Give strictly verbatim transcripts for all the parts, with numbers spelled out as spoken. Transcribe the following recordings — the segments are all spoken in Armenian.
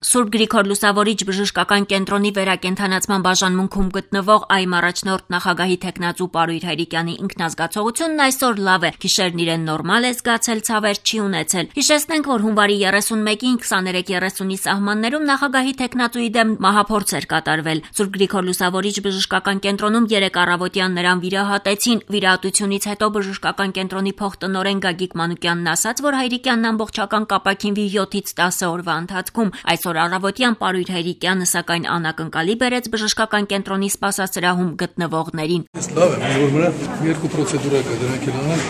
Սուրբ Գրիգոր Լուսավորիչ բժշկական կենտրոնի վերակենդանացման բաժանմունքում գտնվող այ առաջնորդ նախագահի թեկնածու Պարույր Հայրիկյանի ինքնազգացողությունն այսօր լավ է, գիշերն իրեն նորմալ է զգացել, ցավեր չի ունեցել։ Հիշեցնենք, որ հունվարի երեսունմեկին քսաներեք երեսունի սահմաններում նախագահի թեկնածուի դեմ մահափորձ էր կատարվել։ Սուրբ Գրիգոր Լուսավորիչ բժշկական կենտրոնում երեկ առավոտյան նրան վիրահատեցին։ Վիրահատությունից հետո բժշկական կենտրոնի փոխտնօրեն Գագիկ Մանուկյանն ասաց, որ Հայրիկյանն ամբողջական կապակինվի յոթից տասը օրվա ընթացքում։ Այսօր առավոտյան Պարույր Հայրիկյանը սակայն անակնկալի բերեց բժշկական կենտրոնի սպասասրահում գտնվողներին։ Լավ է, որ մնա երկու պրոցեդուրա կա, դրանք էլ անել,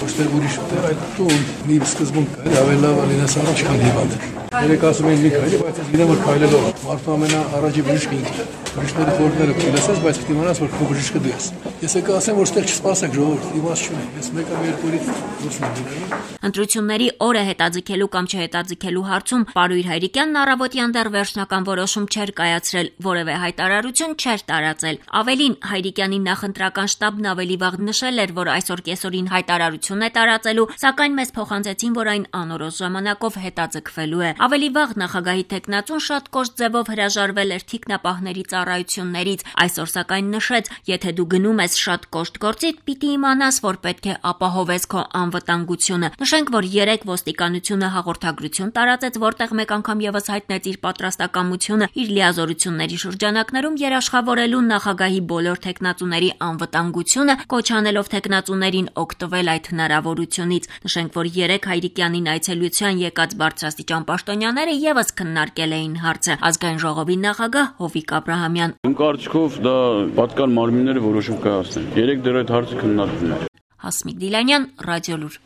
ոչ թե ուրիշ ուտել, այլ տուն մի սկզբում կա, ավելի լավ լինես առաջ քան հիվանդ։ Երեք ասում են մի քայլի, բայց ես գիտեմ, որ քայլելով մարդու ամենաառաջի բժիշկը ինքն է։ Բժիշկների խորհուրդները կլսես, բայց պետք է իմանաս, որ քո բժիշկը դու ես։ Ես եկա ասեմ, որ ստեղ չսպասեք ժողովուրդ, իմաստ չունի։ Ես մեկը մի երկու օրից դուրս եմ գնալու։ Ընտրությունների օրը հետաձգելու կամ չհետաձգելու հարցում Պարույր Հայրիկյանն առավոտյան դեռ վերջնական որոշում չէր կայացրել, որևէ հայտարարություն չէր տարածել։ Ավելին, Հայրիկյանի նախընտրական շտաբն ավելի վաղ նշել էր, որ այսօր կեսօրին հայտարարություն է տարածելու, սակայն մեզ փոխանցեցին, որ այն անորոշ ժամանակով հետաձգվելու է։ Ավելի վաղ նախագահի թեկնածուն շատ կոշտ ձևով հրաժարվել էր թիկնապահների ծառայություններից։ Այսօր սակայն նշեց, եթե դու գնում ես շատ կոշտ գործից, պիտի իմանաս, որ պետք է ապահովես քո անվտանգությունը։ Նշենք, որ երեք ոստիկանությունը հաղորդագրություն տարածեց, որտեղ մեկ անգամ եւս հայտնեց իր պատրաստակամությունը իր լիազորությունների շրջանակներում երաշխավորելու նախագահի բոլոր թեկնածուների անվտանգությունը, կոչ անելով թեկնածուներին օգտվել այդ հնարավորությունից։ Նշենք, որ երեք Հայրիկյանին այցելության եկած բարձրաստիճան պաշտոնյաները եւս քննարկել էին հարցը։ Ազգային ժողովի նախագահ Հովիկ Աբրահամյան։ Իմ կարծիքով դա պատկան մարմինները որոշում կայացնեն։ Երեք դեռ այդ հարցը քննարկվում է։ Հասմիկ Դիլանյան, Ռադիոլուր։